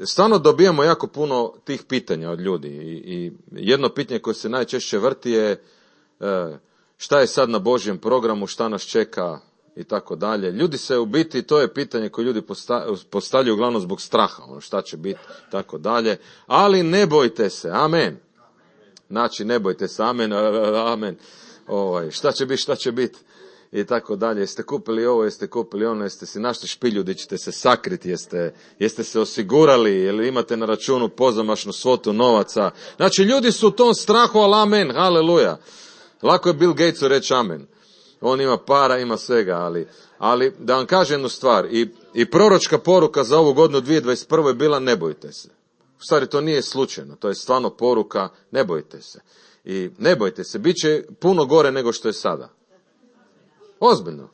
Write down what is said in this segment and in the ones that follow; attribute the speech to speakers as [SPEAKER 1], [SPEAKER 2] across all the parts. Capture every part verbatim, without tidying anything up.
[SPEAKER 1] Stvarno dobijamo jako puno tih pitanja od ljudi i, i jedno pitanje koje se najčešće vrti je šta je sad na Božjem programu, šta nas čeka i tako dalje. Ljudi se u biti, to je pitanje koje ljudi postavljaju uglavnom zbog straha, ono šta će biti, tako dalje, ali ne bojte se, amen. Znači, ne bojte se, amen, amen, ovaj, šta će biti, šta će biti. I tako dalje, jeste kupili ovo, jeste kupili ono, jeste si našli špilju gdje ćete se sakriti, jeste, jeste se osigurali, ili imate na računu pozamašnu svotu novaca. Znači, ljudi su u tom strahu, ali amen, haleluja. Lako je Bill Gatesu reći amen. On ima para, ima svega, ali, ali da vam kažem jednu stvar, i, i proročka poruka za ovu godinu dvije tisuće dvadeset prve je bila ne bojte se. U stvari, to nije slučajno, to je stvarno poruka, ne bojte se. I ne bojte se, bit će puno gore nego što je sada. Ozbiljno.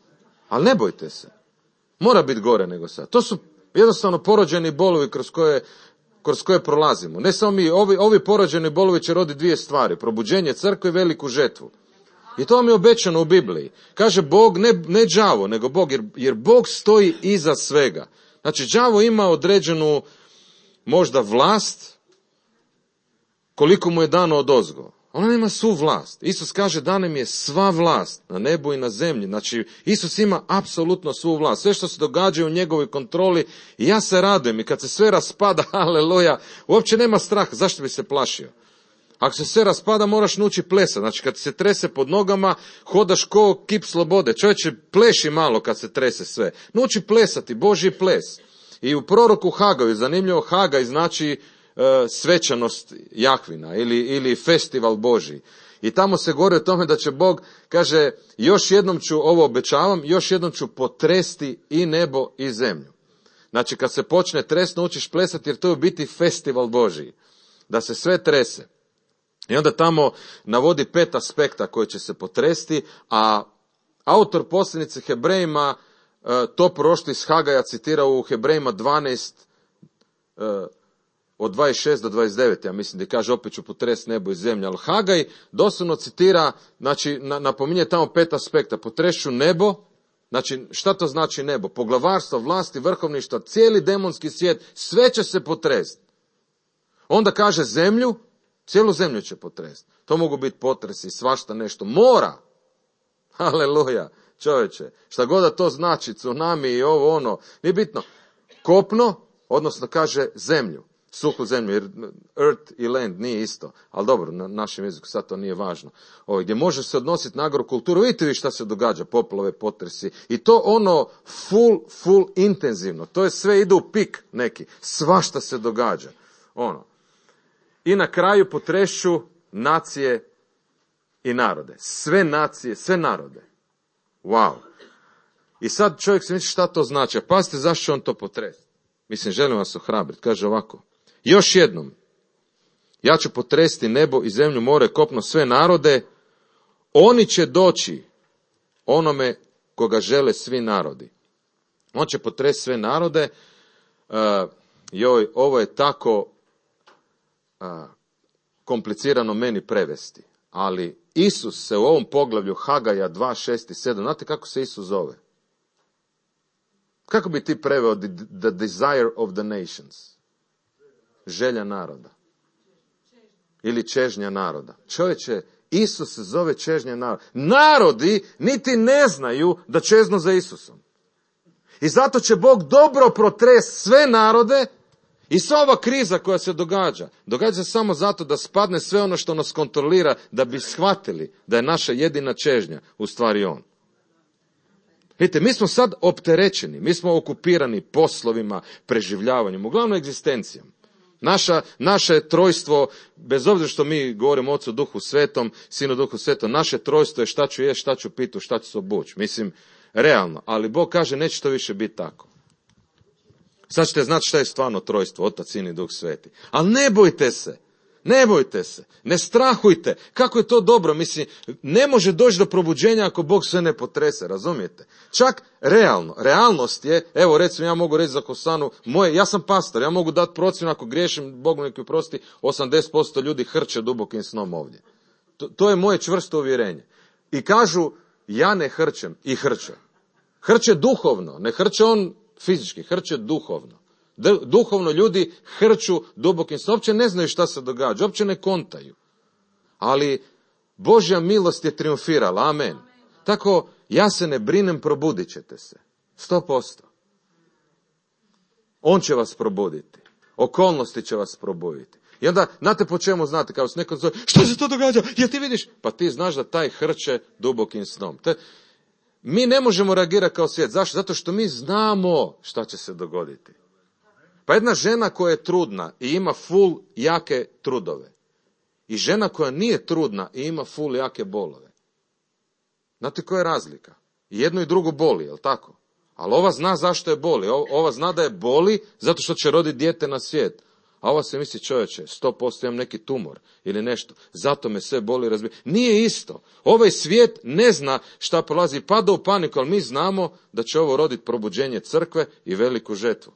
[SPEAKER 1] Ali ne bojte se. Mora biti gore nego sad. To su jednostavno porođeni bolovi kroz koje, kroz koje prolazimo. Ne samo mi, ovi, ovi porođeni bolovi će roditi dvije stvari. Probuđenje crkve i veliku žetvu. I to vam je obećano u Bibliji. Kaže Bog, ne, ne đavo, nego Bog, jer, jer Bog stoji iza svega. Znači, đavo ima određenu možda vlast koliko mu je dano odozgo. Ona nema svu vlast. Isus kaže da nam je sva vlast na nebu i na zemlji. Znači, Isus ima apsolutno svu vlast. Sve što se događa u njegovoj kontroli, i ja se radujem. I kad se sve raspada, aleluja, uopće nema straha. Zašto bi se plašio? Ako se sve raspada, moraš nauči plesati. Znači, kad se trese pod nogama, hodaš ko kip slobode. Čovječe, pleši malo kad se trese sve. Nauči plesati, Božji ples. I u proroku Hagaju, zanimljivo, Hagaj znači svečanost Jahvina ili, ili festival Božji. I tamo se govori o tome da će Bog, kaže, još jednom ću, ovo obećavam, još jednom ću potresti i nebo i zemlju. Znači, kad se počne trest, naučiš plesati, jer to je u biti festival Božji. Da se sve trese. I onda tamo navodi pet aspekta koji će se potresti, a autor poslanice Hebrejima to proroštvo iz Hagaja citira u Hebrejima dvanaest, od dvadeset šest do dvadeset devet, ja mislim da kaže opet ću potresti nebo i zemlju, ali Hagaj doslovno citira, znači napominje tamo pet aspekta, potrešću nebo, znači šta to znači nebo? Poglavarstvo, vlasti, vrhovništva, cijeli demonski svijet, sve će se potresti. Onda kaže zemlju, cijelu zemlju će potresti. To mogu biti potresi, svašta nešto, mora, aleluja, čovječe, šta god da to znači, tsunami i ovo ono, nije bitno, kopno, odnosno kaže zemlju. Suhu zemlju, jer earth i land nije isto, ali dobro, na našem jeziku sad to nije važno. Ovo, gdje može se odnositi na agrokulturu, vidite vi šta se događa, poplave, potresi, i to ono full, full intenzivno, to je sve ide u pik neki, svašta se događa, ono. I na kraju potrešću nacije i narode, sve nacije, sve narode, wow. I sad čovjek se misli šta to znači, a pazite zašto će on to potresti. Mislim, želim vas ohrabriti, kaže ovako. Još jednom, ja ću potresti nebo i zemlju, more, kopno, sve narode, oni će doći onome koga žele svi narodi. On će potresti sve narode, uh, joj, ovo je tako uh, komplicirano meni prevesti, ali Isus se u ovom poglavlju Hagaja dva, šest i sedam, znate kako se Isus zove? Kako bi ti preveo the, the desire of the nations? Želja naroda. Ili čežnja naroda. Čovječe, Isus se zove čežnja naroda. Narodi niti ne znaju da čeznu za Isusom. I zato će Bog dobro protresti sve narode i sva ova kriza koja se događa. Događa se samo zato da spadne sve ono što nas kontrolira, da bi shvatili da je naša jedina čežnja u stvari on. Vidite, mi smo sad opterećeni, mi smo okupirani poslovima, preživljavanjem, uglavnom egzistencijom. Naša, naše trojstvo, bez obzira što mi govorimo Ocu Duhu Svetom, Sinu Duhu Svetom, naše trojstvo je šta ću jesti, šta ću pitu, šta ću se obući. Mislim, realno, ali Bog kaže neće to više biti tako. Sad ćete znati šta je stvarno trojstvo, Otac, Sin i Duh Sveti. Ali ne bojte se. Ne bojte se, ne strahujte. Kako je to dobro? Mislim, ne može doći do probuđenja ako Bog sve ne potrese, razumijete? Čak realno, realnost je, evo recimo ja mogu reći za Hosanu, moje, ja sam pastor, ja mogu dati procjenu ako griješim, Bog neki prosti, osamdeset posto ljudi hrče dubokim snom ovdje. To, to je moje čvrsto uvjerenje. I kažu, ja ne hrčem, i hrče. Hrče duhovno, ne hrče on fizički, hrče duhovno. Duhovno ljudi hrču dubokim snom, uopće ne znaju šta se događa, uopće ne kontaju. Ali Božja milost je triumfirala, amen. Tako, ja se ne brinem, probudit ćete se. Sto posto. On će vas probuditi. Okolnosti će vas probuditi. I onda, znate po čemu znate, kao se neko zove, što se to događa? Jel ti vidiš? Pa ti znaš da taj hrče dubokim snom. Te, mi ne možemo reagirati kao svijet. Zašto? Zato što mi znamo šta će se dogoditi. Pa jedna žena koja je trudna i ima full jake trudove. I žena koja nije trudna i ima full jake bolove. Znate koja je razlika? I jedno i drugo boli, jel tako? Ali ova zna zašto je boli. Ova zna da je boli zato što će roditi dijete na svijet. A ova se misli, čovječe, sto posto imam neki tumor ili nešto. Zato me sve boli, razbije. Nije isto. Ovaj svijet ne zna šta prolazi, pada u paniku, ali mi znamo da će ovo roditi probuđenje crkve i veliku žetvu.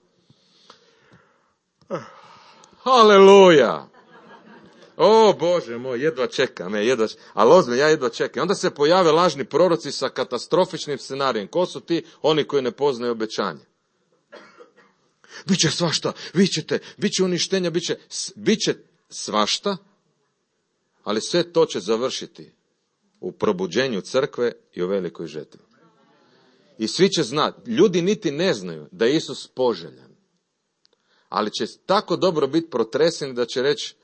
[SPEAKER 1] Haleluja! O Bože moj, jedva čekam, je, jedva čekam. Ali ozme, ja jedva čekam. Onda se pojave lažni proroci sa katastrofičnim scenarijem. Ko su ti? Oni koji ne poznaju obećanje. Biće svašta, vi ćete, bit će uništenja, bit će, bit će svašta, ali sve to će završiti u probuđenju crkve i u velikoj žetvi. I svi će znati, ljudi niti ne znaju da je Isus poželjan, ali će tako dobro biti protreseni da će reći,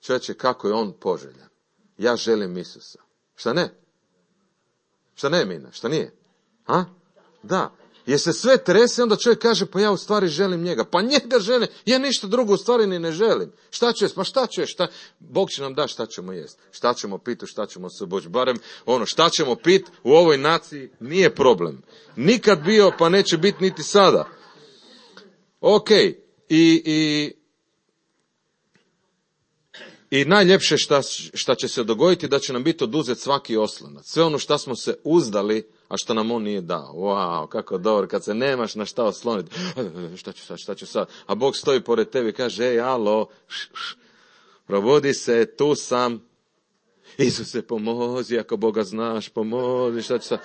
[SPEAKER 1] čovječe, kako je on poželjan. Ja želim Isusa. Šta ne? Šta ne, Mina? Šta nije? Ha? Da. Jer se sve trese, onda čovjek kaže, pa ja u stvari želim njega. Pa njega želim, ja ništa drugo u stvari ni ne želim. Šta ću jest? Pa šta ću jest? Šta? Bog će nam da šta ćemo jest. Šta ćemo piti, šta ćemo se obući. Barem ono, šta ćemo piti u ovoj naciji nije problem. Nikad bio, pa neće biti niti sada. Ok. I, i, i najljepše šta, šta će se dogoditi, da će nam biti oduzet svaki oslonac. Sve ono šta smo se uzdali, a što nam on nije dao. Wow, kako dobro, kad se nemaš na šta osloniti. Šta ću sad, šta ću sad? A Bog stoji pored tebi i kaže, ej, alo, š, š, probudi se, tu sam. Isuse, pomozi, ako Boga znaš, pomozi, šta ću sad?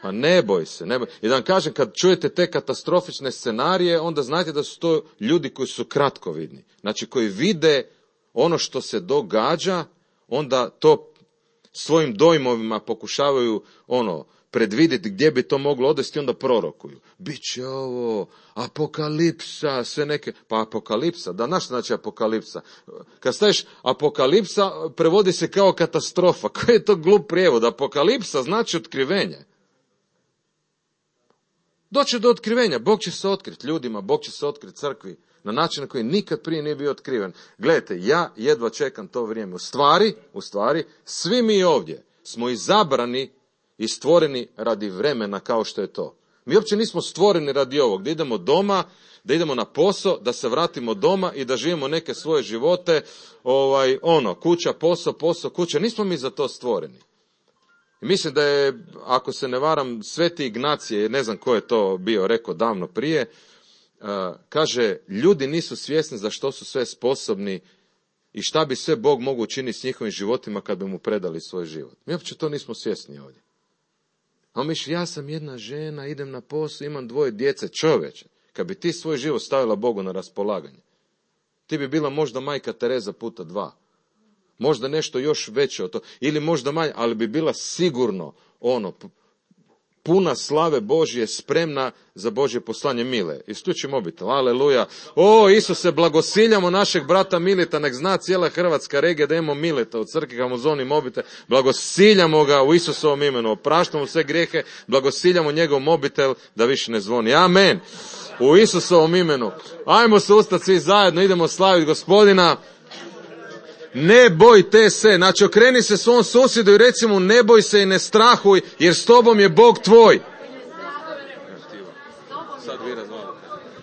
[SPEAKER 1] Pa ne boj se, ne boj. I da vam kažem, kad čujete te katastrofične scenarije, onda znajte da su to ljudi koji su kratkovidni. Znači, koji vide ono što se događa, onda to svojim dojmovima pokušavaju, ono, predvidjeti gdje bi to moglo odvesti, onda prorokuju. Biće ovo, apokalipsa, sve neke, pa apokalipsa, da, znaš što znači apokalipsa? Kad staviš apokalipsa, prevodi se kao katastrofa. Koji je to glup prijevod? Apokalipsa znači otkrivenje. Doće do otkrivenja, Bog će se otkriti ljudima, Bog će se otkriti crkvi, na način na koji nikad prije nije bio otkriven. Gledajte, ja jedva čekam to vrijeme. U stvari, u stvari, svi mi ovdje smo izabrani i stvoreni radi vremena kao što je to. Mi uopće nismo stvoreni radi ovog, da idemo doma, da idemo na posao, da se vratimo doma i da živimo neke svoje živote, ovaj, ono, kuća, posao, posao, kuća. Nismo mi za to stvoreni. I mislim da je, ako se ne varam, Sveti Ignacije, ne znam ko je to bio rekao davno prije, uh, kaže, ljudi nisu svjesni za što su sve sposobni i šta bi sve Bog mogu učiniti s njihovim životima kad bi mu predali svoj život. Mi uopće to nismo svjesni ovdje. A misli, ja sam jedna žena, idem na posao, imam dvoje djece, čovječe. Kad bi ti svoj život stavila Bogu na raspolaganje, ti bi bila možda majka Tereza puta dva. Možda nešto još veće od to. Ili možda manje, ali bi bila sigurno ono, puna slave Božje, spremna za Božje poslanje. Mile, isključi mobitel, aleluja. O, Isuse, blagosiljamo našeg brata Mileta, nek zna cijela hrvatska regija da imamo Mileta u crkvi, kad mu zvoni mobitel. Blagosiljamo ga u Isusovom imenu, opraštamo sve grijehe, blagosiljamo njegov mobitel da više ne zvoni. Amen. U Isusovom imenu. Ajmo se ustati svi zajedno, idemo slaviti Gospodina. Ne bojte se, znači okreni se svom susjedu i reci mu ne boj se i ne strahuj, jer s tobom je Bog tvoj.